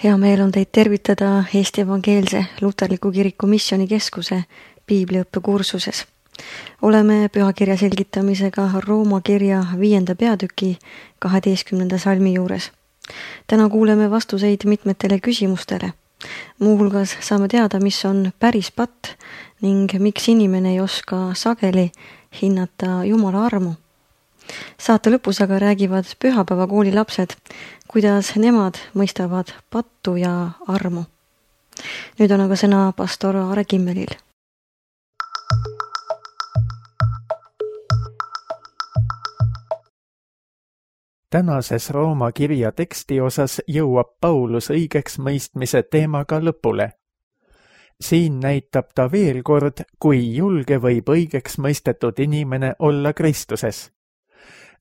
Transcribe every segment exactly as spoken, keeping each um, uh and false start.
Hea meel on teid tervitada Eesti Evangeelse Luterliku Kiriku Missioonikeskuse piibliõppekursuses. Oleme pühakirja selgitamisega Rooma kirja viienda peatüki kaheteistkümnenda salmi juures. Täna kuuleme vastuseid mitmetele küsimustele. Muuhulgas saame teada, mis on päris patt ning miks inimene ei oska sageli hinnata Jumala armu. Saate lõpus aga räägivad pühapäevakooli lapsed, kuidas nemad mõistavad pattu ja armu. Nüüd on aga sõna pastor Aare Kimmelil. Tänases Rooma kirja teksti osas jõuab Paulus õigeks mõistmise teemaga lõpule. Siin näitab ta veel kord, kui julge võib õigeks mõistetud inimene olla Kristuses.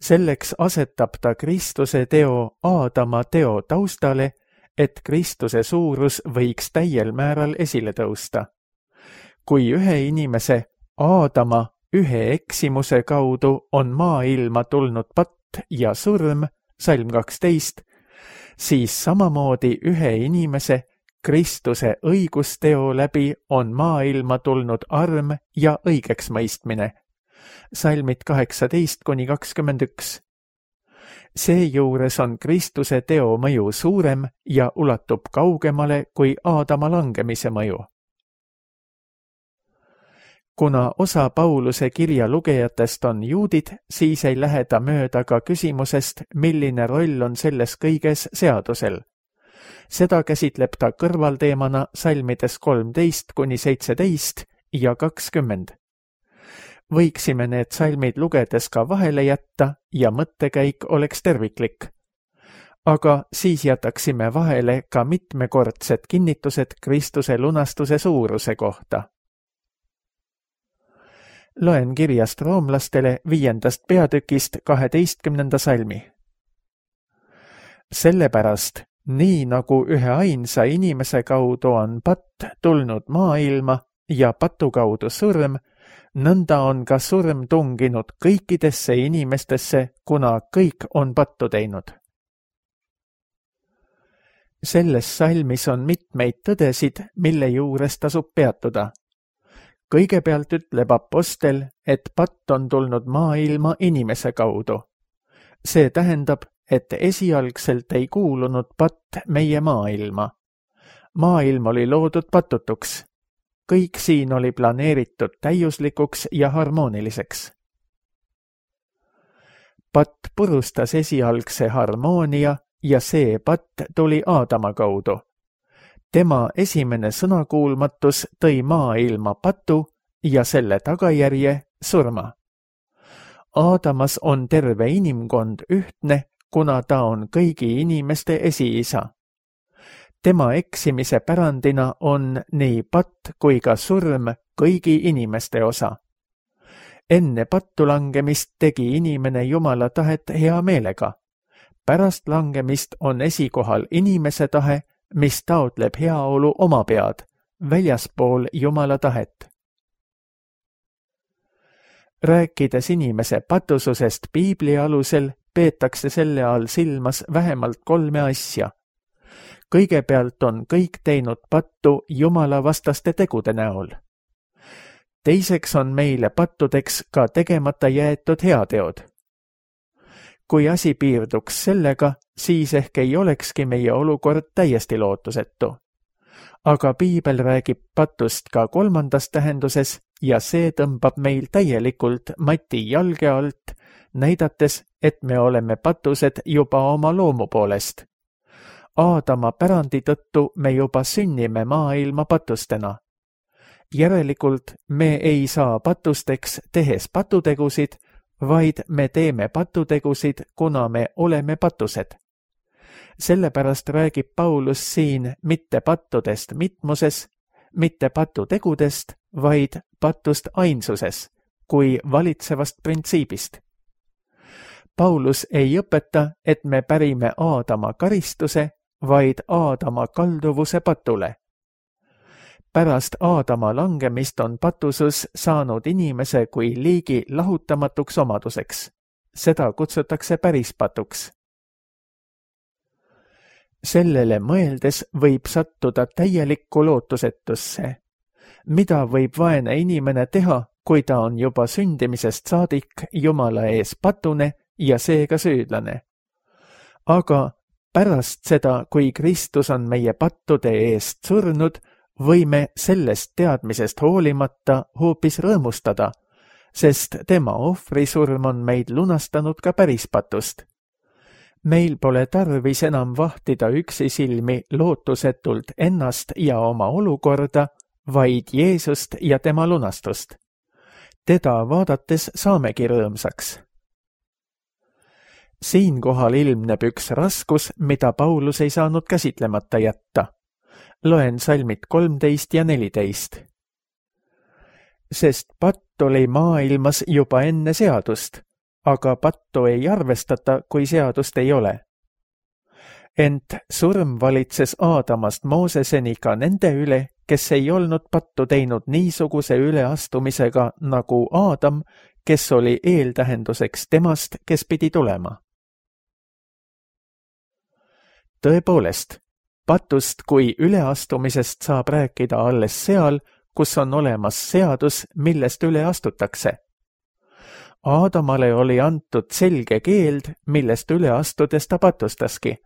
Selleks asetab ta Kristuse teo Aadama teo taustale, et Kristuse suurus võiks täiel määral esile tõusta. Kui ühe inimese Aadama ühe eksimuse kaudu on maailma tulnud patt ja surm, salm kaksteist, siis samamoodi ühe inimese Kristuse õigusteo läbi on maailma tulnud arm ja õigeksmõistmine. Salmid kaheksateist kuni kakskümmend üks. Seejuures on Kristuse teo mõju suurem ja ulatub kaugemale kui Aadama langemise mõju. Kuna osa Pauluse kirja lugejatest on juudid, siis ei lähe ta mööda ka küsimusest, milline roll on selles kõiges seadusel. Seda käsitleb ta kõrvalteemana salmides kolmteist kuni seitseteist ja kakskümmend. Võiksime need salmid lugedes ka vahele jätta ja mõttekäik oleks terviklik. Aga siis jätaksime vahele ka mitmekordsed kinnitused Kristuse lunastuse suuruse kohta. Loen kirjast roomlastele viiendast peatükist kaheteistkümnenda salmi. Sellepärast, nii nagu ühe ainsa inimese kaudu on patt tulnud maailma ja patu kaudu surm, nõnda on ka surm tunginud kõikidesse inimestesse, kuna kõik on pattu teinud. Selles salmis on mitmeid tõdesid, mille juures tasub peatuda. Kõigepealt ütleb apostel, et patt on tulnud maailma inimese kaudu. See tähendab, et esialgselt ei kuulunud patt meie maailma. Maailm oli loodud patutuks. Kõik siin oli planeeritud täiuslikuks ja harmooniliseks. Patt purustas esialgse harmoonia ja see patt tuli Aadama kaudu. Tema esimene sõnakuulmatus tõi maailma patu ja selle tagajärje surma. Aadamas on terve inimkond ühtne, kuna ta on kõigi inimeste esiisa. Tema eksimise pärandina on nii patt kui ka surm kõigi inimeste osa. Enne pattu langemist tegi inimene Jumala tahet hea meelega. Pärast langemist on esikohal inimese tahe, mis taotleb heaolu oma pead, väljaspool Jumala tahet. Rääkides inimese patususest piibli alusel, peetakse selle all silmas vähemalt kolme asja. Kõigepealt on kõik teinud pattu Jumala vastaste tegude näol. Teiseks on meile pattudeks ka tegemata jäetud heateod. Kui asi piirduks sellega, siis ehk ei olekski meie olukord täiesti lootusetu. Aga piibel räägib patust ka kolmandas tähenduses ja see tõmbab meil täielikult mati jalge alt, näidates, et me oleme patused juba oma loomu poolest. Aadama pärandi tõttu me juba sünnime maailma patustena. Järelikult me ei saa patusteks tehes patutegusid, vaid me teeme patutegusid, kuna me oleme patused. Sellepärast räägib Paulus siin mitte pattudest mitmuses, mitte patutegudest, vaid patust ainsuses, kui valitsevast printsiibist. Paulus ei õpeta, et me pärime Aadama karistuse, vaid Aadama kalduvuse patule. Pärast Aadama langemist on patusus saanud inimese kui liigi lahutamatuks omaduseks. Seda kutsutakse päris patuks. sellele mõeldes võib sattuda täielikku lootusetusse. Mida võib vaene inimene teha, kui ta on juba sündimisest saadik Jumala ees patune ja seega süüdlane? Aga pärast seda, kui Kristus on meie pattude eest surnud, võime sellest teadmisest hoolimata hoopis rõõmustada, sest tema ohvrisurm on meid lunastanud ka päris patust. Meil pole tarvis enam vahtida üksisilmi lootusetult ennast ja oma olukorda, vaid Jeesust ja tema lunastust. Teda vaadates saamegi rõõmsaks. Siinkohal ilmneb üks raskus, mida Paulus ei saanud käsitlemata jätta. Loen salmid kolmteist ja neliteist. Sest patt oli maailmas juba enne seadust, aga pattu ei arvestata, kui seadust ei ole. Ent surm valitses Aadamast Mooseseni ka nende üle, kes ei olnud pattu teinud niisuguse üleastumisega nagu Aadam, kes oli eeltähenduseks temast, kes pidi tulema. Tõepoolest, patust kui üleastumisest saab rääkida alles seal, kus on olemas seadus, millest üle astutakse. Aadamale oli antud selge keeld, millest üle astudes ta patustaski.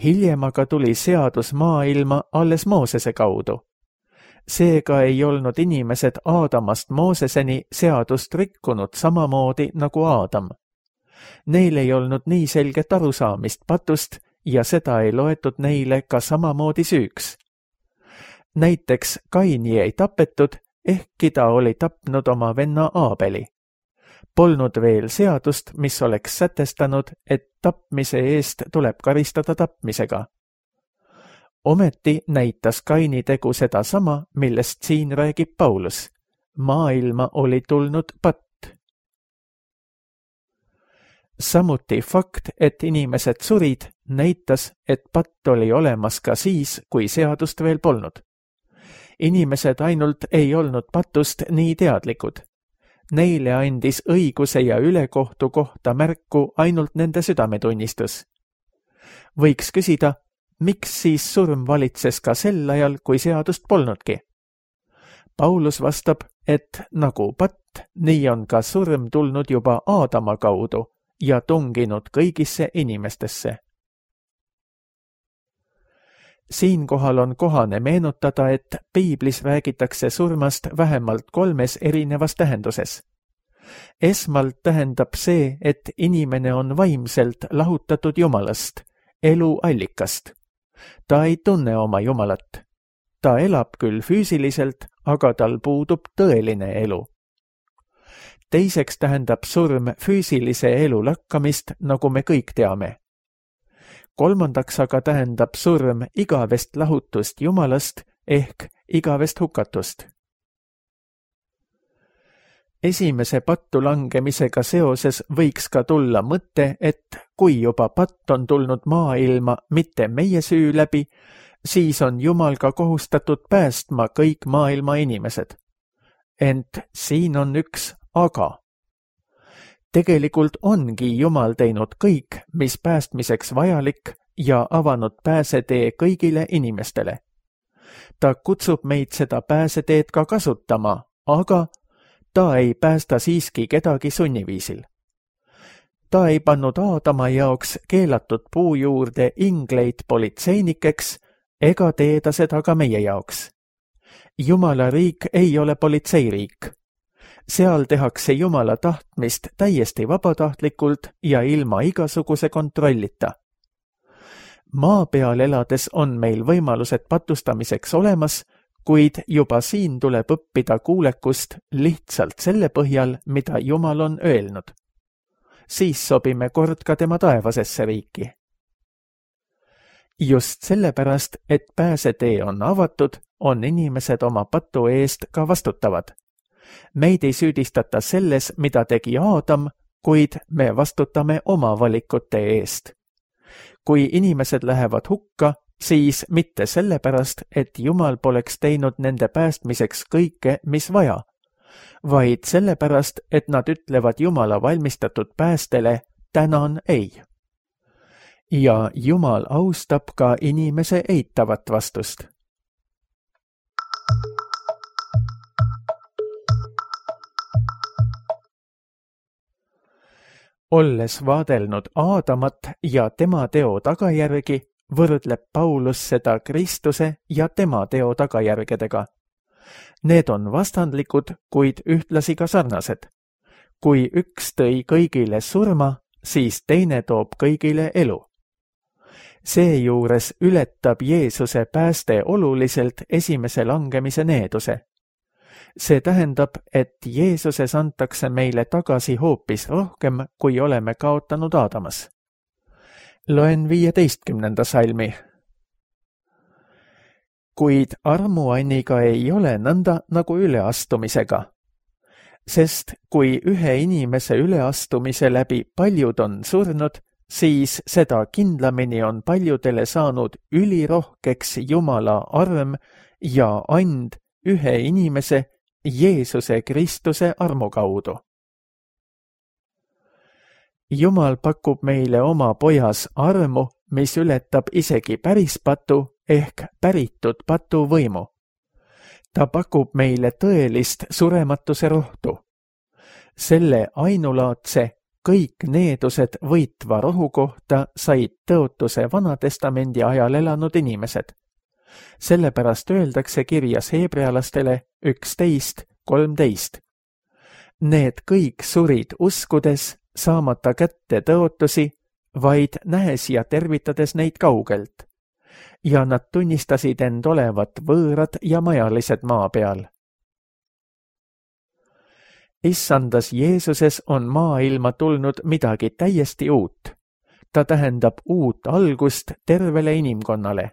Hiljem aga tuli seadus maailma alles Moosese kaudu. Seega ei olnud inimesed Aadamast Mooseseni seadust rikkunud samamoodi nagu Aadam. Neil ei olnud nii selget arusaamist patust ja seda ei loetud neile ka samamoodi süüks. Näiteks Kaini ei tapetud, ehkki ta oli tapnud oma venna Aabeli. Polnud veel seadust, mis oleks sätestanud, et tapmise eest tuleb karistada tapmisega. Ometi näitas Kaini tegu seda sama, millest siin räägib Paulus. Maailma oli tulnud patt. Samuti fakt, et inimesed surid, näitas, et patt oli olemas ka siis, kui seadust veel polnud. Inimesed ainult ei olnud patust nii teadlikud. Neile andis õiguse ja ülekohtu kohta märku ainult nende südametunnistus. Võiks küsida, miks siis surm valitses ka sel ajal, kui seadust polnudki? Paulus vastab, et nagu patt, nii on ka surm tulnud juba Aadama kaudu ja tunginud kõigisse inimestesse. Siinkohal on kohane meenutada, et piiblis räägitakse surmast vähemalt kolmes erinevas tähenduses. Esmalt tähendab see, et inimene on vaimselt lahutatud Jumalast, elu allikast. Ta ei tunne oma Jumalat. Ta elab küll füüsiliselt, aga tal puudub tõeline elu. Teiseks tähendab surm füüsilise elu lakkamist, nagu me kõik teame. Kolmandaks aga tähendab surm igavest lahutust Jumalast ehk igavest hukatust. Esimese pattu langemisega seoses võiks ka tulla mõte, et kui juba patt on tulnud maailma mitte meie süü läbi, siis on Jumal ka kohustatud päästma kõik maailma inimesed. Ent siin on üks aga. Tegelikult ongi Jumal teinud kõik, mis päästmiseks vajalik ja avanud pääsetee kõigile inimestele. Ta kutsub meid seda pääseteed ka kasutama, aga ta ei päästa siiski kedagi sunniviisil. Ta ei pannud Aadama jaoks keelatud puu juurde ingleid politseinikeks ega tee ta seda ka meie jaoks. Jumala riik ei ole politseiriik. Seal tehakse Jumala tahtmist täiesti vabatahtlikult ja ilma igasuguse kontrollita. Maa peal elades on meil võimalused patustamiseks olemas, kuid juba siin tuleb õppida kuulekust lihtsalt selle põhjal, mida Jumal on öelnud. Siis sobime kord ka tema taevasesse riiki. Just sellepärast, et pääsetee on avatud, on inimesed oma patu eest ka vastutavad. Meid ei süüdistata selles, mida tegi Aadam, kuid me vastutame oma valikute eest. Kui inimesed lähevad hukka, siis mitte sellepärast, et Jumal poleks teinud nende päästmiseks kõike, mis vaja, vaid sellepärast, et nad ütlevad Jumala valmistatud päästele, tänan ei. ja Jumal austab ka inimese eitavat vastust. Olles vaadelnud Aadamat ja tema teo tagajärgi, võrdleb Paulus seda Kristuse ja tema teo tagajärgedega. Need on vastandlikud, kuid ühtlasi ka sarnased. Kui üks tõi kõigile surma, siis teine toob kõigile elu. Seejuures ületab Jeesuse pääste oluliselt esimese langemise needuse. See tähendab, et Jeesuses antakse meile tagasi hoopis rohkem, kui oleme kaotanud Aadamas. Loen viieteistkümnenda salmi. Kuid armuanniga ei ole nõnda nagu üleastumisega. Sest kui ühe inimese üleastumise läbi paljud on surnud, siis seda kindlamini on paljudele saanud ülirohkeks Jumala arm ja and ühe inimese, Jeesuse Kristuse armu kaudu. Jumal pakub meile oma pojas armu, mis ületab isegi päris patu ehk päritud patu võimu. Ta pakub meile tõelist surematuse rohtu. Selle ainulaadse kõik needused võitva rohu kohta said tõotuse Vanatestamendi ajal elanud inimesed. Sellepärast öeldakse kirjas heebrealastele üksteist kolmteist. Need kõik surid uskudes, saamata kätte tõotusi, vaid nähes ja tervitades neid kaugelt. Ja nad tunnistasid end olevat võõrad ja majalised maa peal. Issandas Jeesuses on maailma tulnud midagi täiesti uut. Ta tähendab uut algust tervele inimkonnale.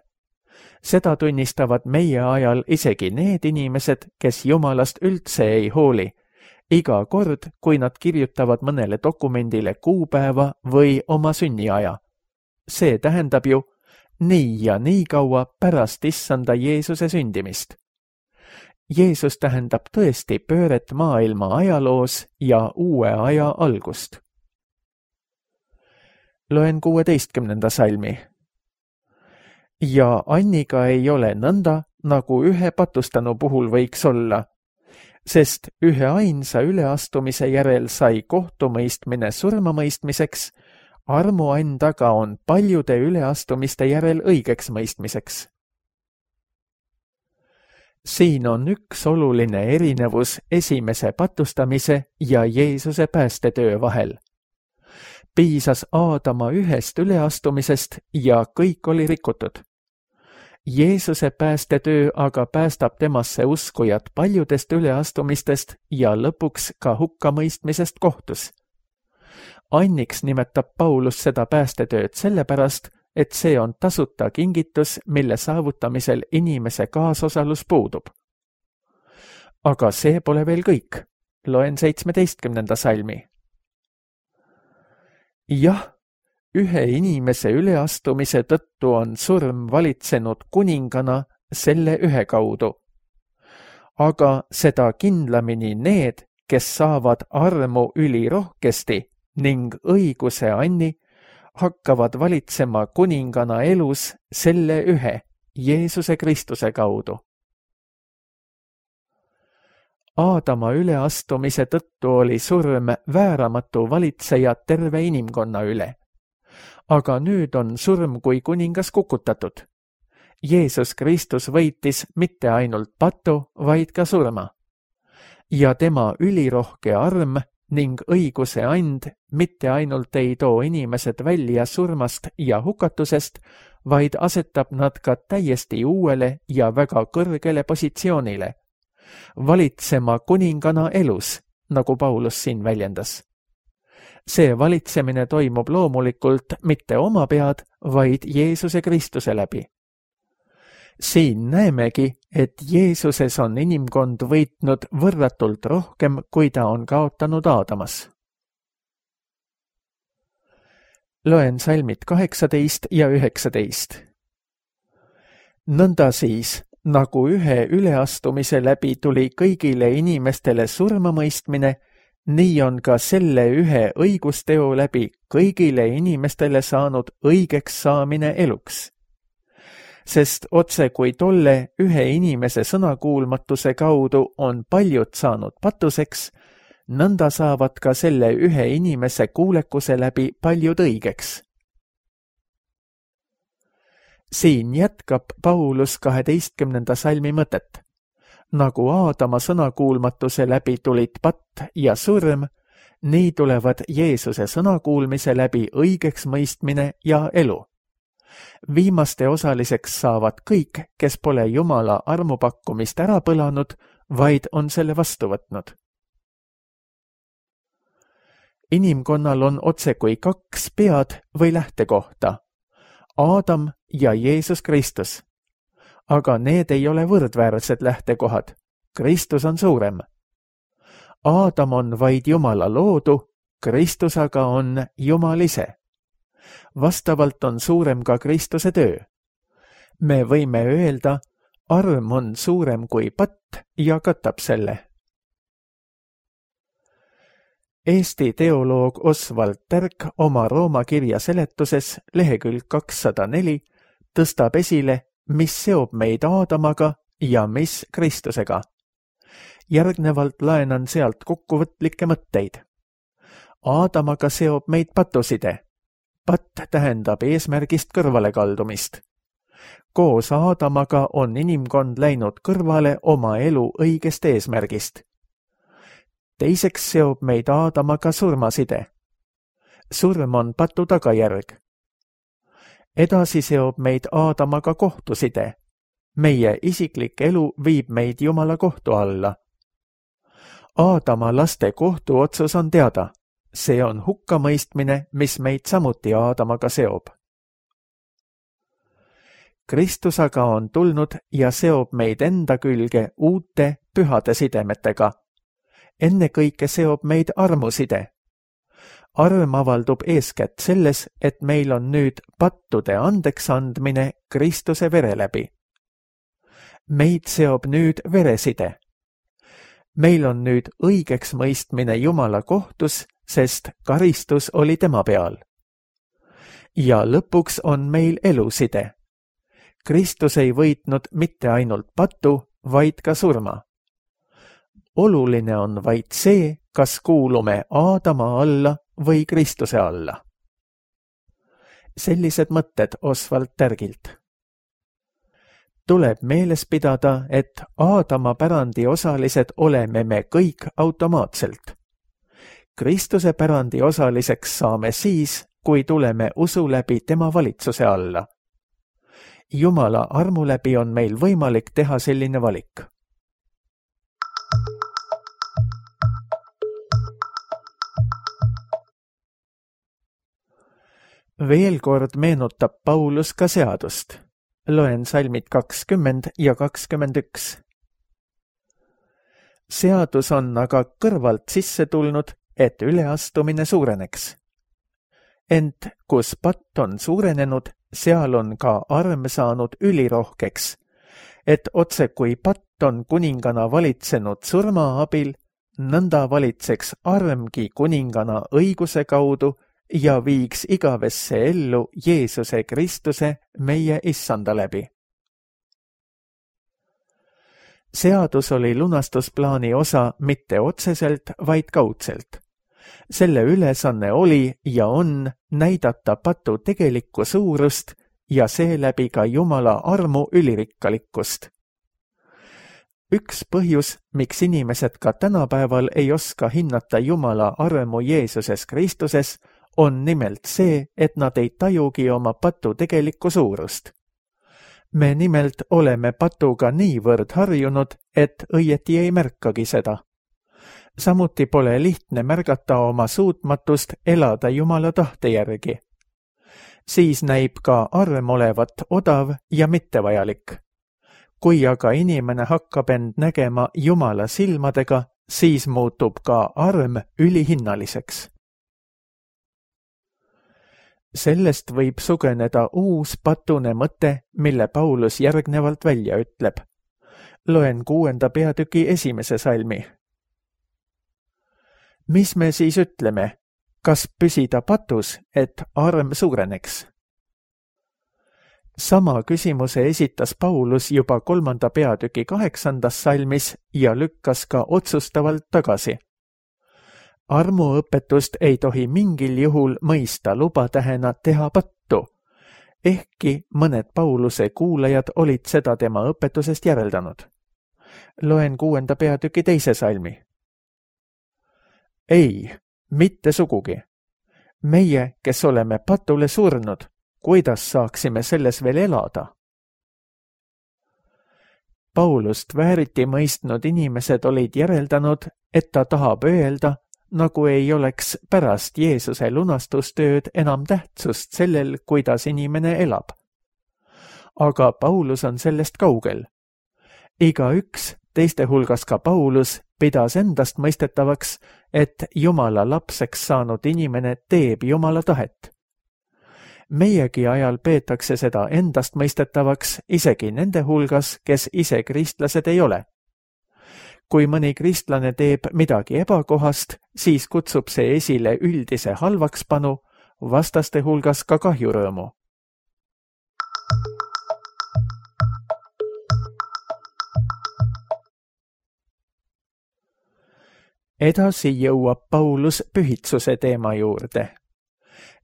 Seda tunnistavad meie ajal isegi need inimesed, kes Jumalast üldse ei hooli, iga kord, kui nad kirjutavad mõnele dokumendile kuupäeva või oma sünniaja. See tähendab ju nii ja nii kaua pärast Issanda Jeesuse sündimist. Jeesus tähendab tõesti pööret maailma ajaloos ja uue aja algust. Loen kuueteistkümnenda salmi. Ja Anniga ei ole nõnda, nagu ühe patustanu puhul võiks olla, sest ühe ainsa üleastumise järel sai kohtumõistmine surmamõistmiseks, armuand aga on paljude üleastumiste järel õigeks mõistmiseks. Siin on üks oluline erinevus esimese patustamise ja Jeesuse päästetöö vahel. Piisas Aadama ühest üleastumisest ja kõik oli rikutud. Jeesuse päästetöö aga päästab temasse uskujad paljudest üleastumistest ja lõpuks ka hukkamõistmisest kohtus. Anniks nimetab Paulus seda päästetööd sellepärast, et see on tasuta kingitus, mille saavutamisel inimese kaasosalus puudub. Aga see pole veel kõik. Loen seitsmeteistkümnenda salmi. Jah, ühe inimese üleastumise tõttu on surm valitsenud kuningana selle ühe kaudu. Aga seda kindlamini need, kes saavad armu ülirohkesti ning õiguse anni, hakkavad valitsema kuningana elus selle ühe, Jeesuse Kristuse kaudu. Aadama üleastumise tõttu oli surm vääramatu valitseja terve inimkonna üle. Aga nüüd on surm kui kuningas kukutatud. Jeesus Kristus võitis mitte ainult patu, vaid ka surma. Ja tema ülirohke arm ning õiguse and mitte ainult ei too inimesed välja surmast ja hukatusest, vaid asetab nad ka täiesti uuele ja väga kõrgele positsioonile. Valitsema kuningana elus, nagu Paulus siin väljendas. See valitsemine toimub loomulikult mitte oma pead, vaid Jeesuse Kristuse läbi. Siin näemegi, et Jeesuses on inimkond võitnud võrratult rohkem, kui ta on kaotanud Aadamas. Loen salmid kaheksateist ja üheksateist. Nõnda siis, nagu ühe üleastumise läbi tuli kõigile inimestele surmamõistmine, nii on ka selle ühe õigusteo läbi kõigile inimestele saanud õigeks saamine eluks. Sest otse kui tolle ühe inimese sõnakuulmatuse kaudu on paljud saanud patuseks, nõnda saavad ka selle ühe inimese kuulekuse läbi paljud õigeks. Siin jätkab Paulus kaheteistkümnenda salmi mõtet. Nagu Aadama sõnakuulmatuse läbi tulid patt ja surm, nii tulevad Jeesuse sõnakuulmise läbi õigeks mõistmine ja elu. Viimaste osaliseks saavad kõik, kes pole Jumala armupakkumist ära põlanud, vaid on selle vastu võtnud. Inimkonnal on otse kui kaks pead või lähtekohta, Aadam ja Jeesus Kristus. Aga need ei ole võrdväärsed lähtekohad. Kristus on suurem. Aadam on vaid Jumala loodu, Kristus aga on Jumal ise. Vastavalt on suurem ka Kristuse töö. Me võime öelda, arm on suurem kui patt ja katab selle. Eesti teoloog Oswald Tärk oma Rooma kirja seletuses lehekülg kakssada neli tõstab esile, mis seob meid Aadamaga ja mis Kristusega. Järgnevalt laenan sealt kokkuvõtlikke mõtteid. Aadamaga seob meid patuside. Patt tähendab eesmärgist kõrvalekaldumist. Koos Aadamaga on inimkond läinud kõrvale oma elu õigest eesmärgist. Teiseks seob meid Aadamaga surmaside. Surm on patu tagajärg. Edasi seob meid Aadamaga kohtuside. Meie isiklik elu viib meid Jumala kohtu alla. Aadama laste kohtuotsus on teada. See on hukkamõistmine, mis meid samuti Aadamaga seob. Kristus aga on tulnud ja seob meid enda külge uute pühade sidemetega. Ennekõike seob meid armuside. Arm avaldub eeskätt selles, et meil on nüüd pattude andeks andmine Kristuse vere läbi. Meid seob nüüd vereside. Meil on nüüd õigeks mõistmine Jumala kohtus, sest karistus oli tema peal. Ja lõpuks on meil eluside. Kristus ei võitnud mitte ainult patu, vaid ka surma. Oluline on vaid see, kas kuulume Aadama alla või Kristuse alla. Sellised mõtted Oswald Tärgilt. Tuleb meeles pidada, et Aadama pärandi osalised oleme me kõik automaatselt. Kristuse pärandi osaliseks saame siis, kui tuleme usu läbi tema valitsuse alla. Jumala armu läbi on meil võimalik teha selline valik. Veel kord meenutab Paulus ka seadust. Loen salmid kakskümmend ja kakskümmend üks. Seadus on aga kõrvalt sisse tulnud, et üleastumine suureneks. Ent kus patt on suurenenud, seal on ka arm saanud ülirohkeks, et otse kui patt on kuningana valitsenud surma abil, nõnda valitseks armgi kuningana õiguse kaudu ja viiks igavesse ellu Jeesuse Kristuse meie issanda läbi. Seadus oli lunastusplaani osa mitte otseselt, vaid kaudselt. Selle ülesanne oli ja on näidata patu tegelikku suurust ja seeläbi ka Jumala armu ülirikkalikkust. Üks põhjus, miks inimesed ka tänapäeval ei oska hinnata Jumala armu Jeesuses Kristuses, on nimelt see, et nad ei tajugi oma patu tegelikku suurust. Me nimelt oleme patuga niivõrd harjunud, et õieti ei märkagi seda. Samuti pole lihtne märgata oma suutmatust elada Jumala tahte järgi. Siis näib ka arm olevat odav ja mittevajalik. Kui aga inimene hakkab end nägema Jumala silmadega, siis muutub ka arm ülihinnaliseks. Sellest võib sugeneda uus patune mõte, mille Paulus järgnevalt välja ütleb. Loen kuuenda peatüki esimese salmi. mis me siis ütleme? Kas püsida patus, et arm suureneks? Sama küsimuse esitas Paulus juba kolmanda peatüki kaheksandas salmis ja lükkas ka otsustavalt tagasi. Armuõpetust ei tohi mingil juhul mõista lubatähena teha pattu, ehkki mõned Pauluse kuulajad olid seda tema õpetusest järeldanud. Loen kuuenda peatüki teise salmi. Ei, mitte sugugi. Meie, kes oleme patule surnud, kuidas saaksime selles veel elada? Paulust vääriti mõistnud inimesed olid järeldanud, et ta tahab öelda, nagu ei oleks pärast Jeesuse lunastustööd enam tähtsust sellel, kuidas inimene elab. Aga Paulus on sellest kaugel. Iga üks, teiste hulgas ka Paulus, pidas endast mõistetavaks, et Jumala lapseks saanud inimene teeb Jumala tahet. Meiegi ajal peetakse seda endast mõistetavaks isegi nende hulgas, kes ise kristlased ei ole. Kui mõni kristlane teeb midagi ebakohast, siis kutsub see esile üldise halvakspanu, vastaste hulgas ka kahjurõõmu. Edasi jõuab Paulus pühitsuse teema juurde.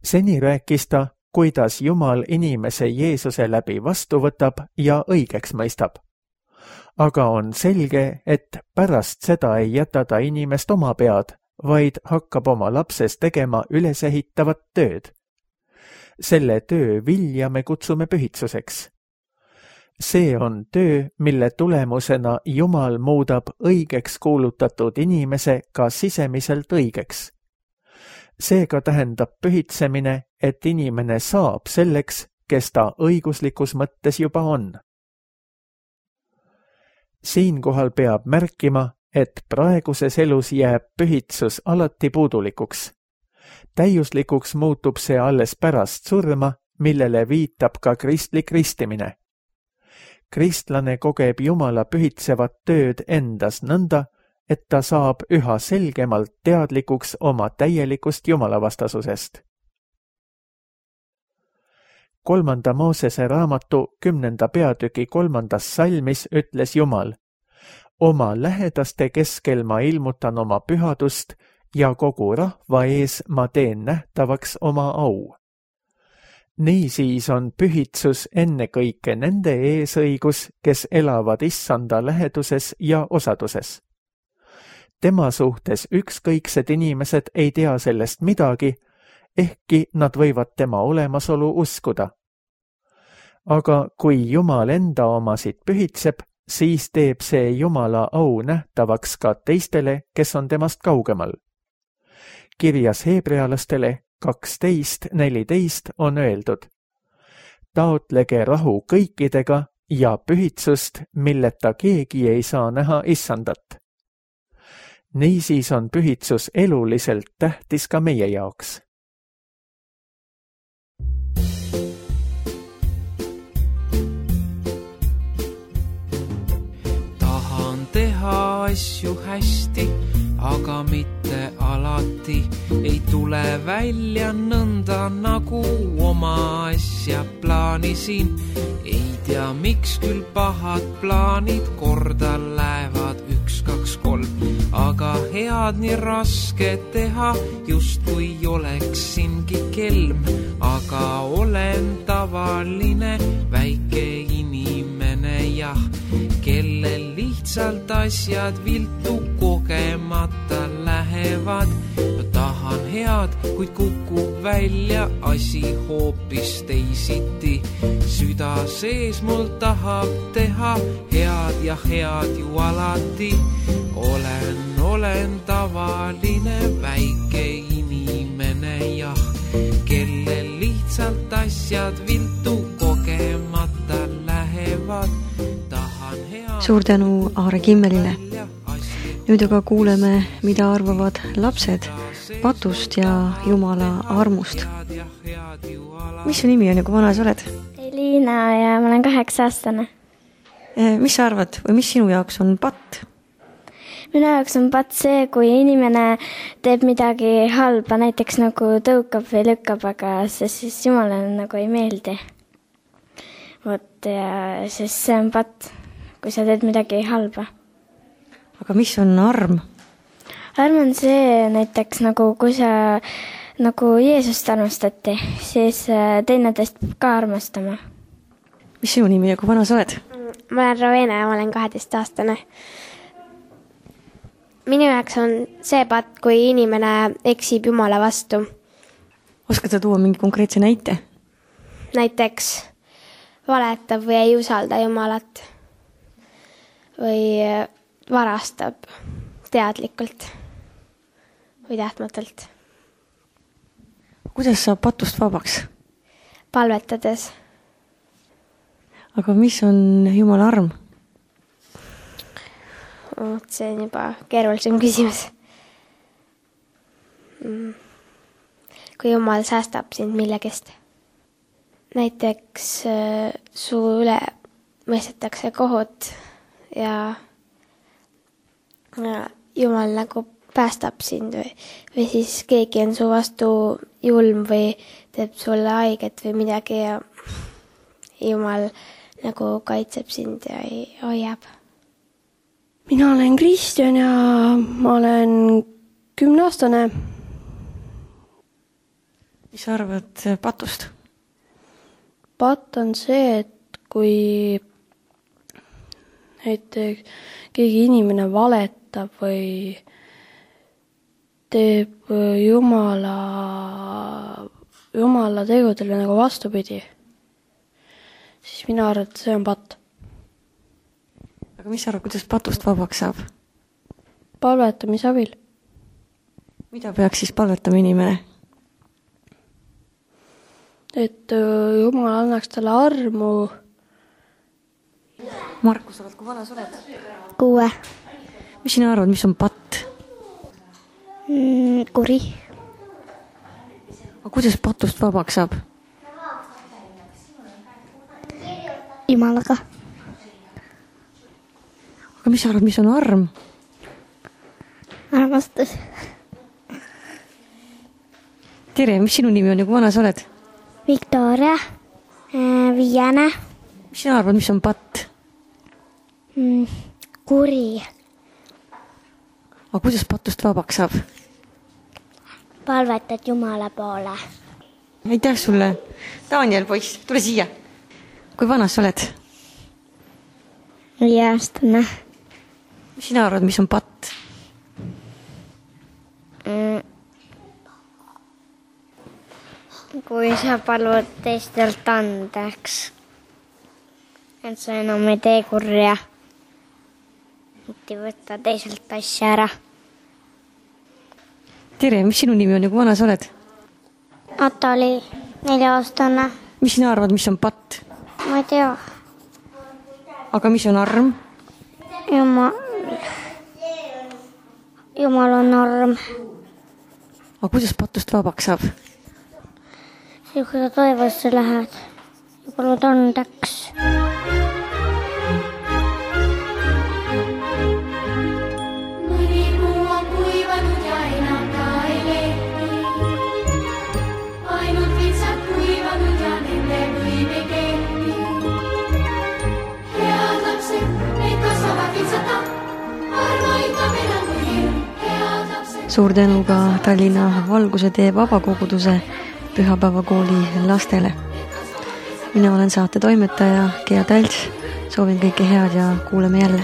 Seni rääkis ta, kuidas Jumal inimese Jeesuse läbi vastu võtab ja õigeks mõistab. Aga on selge, et pärast seda ei jäta ta inimest oma pead, vaid hakkab oma lapses tegema ülesehitavat tööd. Selle töö vilja me kutsume pühitsuseks. See on töö, mille tulemusena Jumal muudab õigeks kuulutatud inimese ka sisemiselt õigeks. Seega tähendab pühitsemine, et inimene saab selleks, kes ta õiguslikus mõttes juba on. Siinkohal peab märkima, et praeguses elus jääb pühitsus alati puudulikuks. Täiuslikuks muutub see alles pärast surma, millele viitab ka kristlik ristimine. Kristlane kogeb Jumala pühitsevat tööd endas nõnda, et ta saab üha selgemalt teadlikuks oma täielikust Jumalavastasusest. Kolmanda Moosese raamatu kümnenda peatüki kolmandas salmis ütles Jumal: oma lähedaste keskel ma ilmutan oma pühadust ja kogu rahva ees ma teen nähtavaks oma au. Niisiis on pühitsus ennekõike nende eesõigus, kes elavad issanda läheduses ja osaduses. Tema suhtes ükskõiksed inimesed ei tea sellest midagi, ehkki nad võivad tema olemasolu uskuda. Aga kui Jumal enda omasid pühitseb, siis teeb see Jumala au nähtavaks ka teistele, kes on temast kaugemal. Kirjas heebrealastele kaksteist neliteist on öeldud: taotlege rahu kõikidega ja pühitsust, milleta keegi ei saa näha issandat. Niisiis on pühitsus eluliselt tähtis ka meie jaoks. Tahan teha asju hästi, aga mitte alati ei tule välja nõnda, nagu oma asja plaanisin. Ei tea, miks küll pahad plaanid korda lähevad üks, kaks, kolm, aga head nii raske teha, just kui oleksingi kelm, aga olen tavaline väike inimene, jah, kellel lihtsalt asjad viltu kogemata lähevad. Ma tahan head, kuid kukub välja asi hoopis teisiti. Süda sees mul tahab teha head ja head ju alati. Olen, olen tavaline väike inimene, jah, kellel lihtsalt asjad viltu kogemata lähevad. Tahan head... Suur tänu Aare Kimmelile. Nüüd aga kuuleme, mida arvavad lapsed patust ja Jumala armust. Mis su nimi on ja kui vana sa oled? Liina ja ma olen kaheksa aastane. Mis sa arvad või mis sinu jaoks on patt? Minu jaoks on patt see, kui inimene teeb midagi halba, näiteks nagu tõukab või lükkab, aga see siis Jumalale nagu ei meeldi. Vot ja siis see on patt, kui sa teed midagi halba. Aga mis on arm? Arm on see näiteks nagu, kui sa nagu Jeesust armastati, siis teineteist ka armastama. Mis sinu nimi ja kui vana sa oled? Ma olen Rovena ja ma olen kaheteist aastane. Minu jaoks on see patt, kui inimene eksib Jumala vastu. Oskad sa tuua mingi konkreetse näite? Näiteks valetab või ei usalda Jumalat või varastab teadlikult või tahtmatult. Kuidas saab patust vabaks? Palvetades. Aga mis on Jumala arm? See on juba keerulisem küsimus. Kui Jumal säästab sind millegist. Näiteks su üle mõistetakse kohut ja Jumal nagu päästab sind või, või siis keegi on su vastu julm või teeb sulle haiget või midagi ja Jumal nagu kaitseb sind ja hoiab. Mina olen Kristjan ja ma olen kümneaastane. Mis sa arvad patust? Patt on see, et kui näiteks keegi inimene valetab või teeb Jumala, Jumala tegudele nagu vastupidi, siis mina arvan, et see on patt. Aga mis sa arvad, kuidas patust vabaks saab? Palvetamise abil. Mida peaks siis palvetama inimene? Et Jumal annaks talle armu. Markus, oled, kui vana sa oled? Kuue. Mis sina arvad, mis on patt? Mm, kuri. Aga kuidas patust vabaks saab? Jumalaga. Aga mis sa arvad, mis on arm? Armastus. Tere, mis sinu nimi on ja kui vana sa oled? Victoria, viiene. Mis sina arvad, mis on patt? Mm, kuri. Aga kuidas patust vabaks saab? Palvetad Jumala poole. Aitäh sulle. Daniel, poiss, tule siia. Kui vana sa oled? Viieaastane. Mis sina arvad, mis on patt? Mm. Kui sa palud teistelt andeks, et sa enam ei tee kurja, mitte võtta teiselt asja ära. Tere, mis sinu nimi on ja kui vana sa oled? Atali, nelja-aastane. Mis sina arvad, mis on patt? Ma ei tea. Aga mis on arm? Jumal, Jumal on arm. Aga kuidas patust vabaks saab? Ja kui sa toivasse lähed ja palud andeks. Mõni puu on kuivanud ja enam ta ei lehti. Ainult vitsad kuivanud ja nende võim ei kehti. Head lapsed, neid kasvavad vitsata. Armaitab enam kui hirm. Head lapsed. Suur tänu ka Tallinna Valguse tee vabakoguduse pühapäevakooli lastele. Mina olen saate toimetaja Gea Talts. Soovin kõike head ja kuuleme jälle.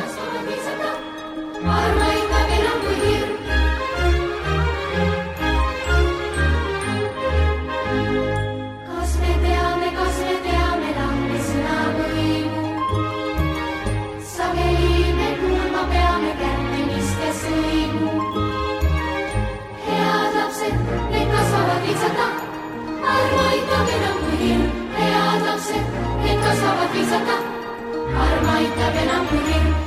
Kas me teame, kas me teame lahti sõna võimu? Sageli me kuulma peame kättemist ja sõimu. Head lapsed, need kasvavad vitsata. Armaitab enam kui hirm. Head lapsed, need kasvavad vitsata. Armaitab enam kui hirm.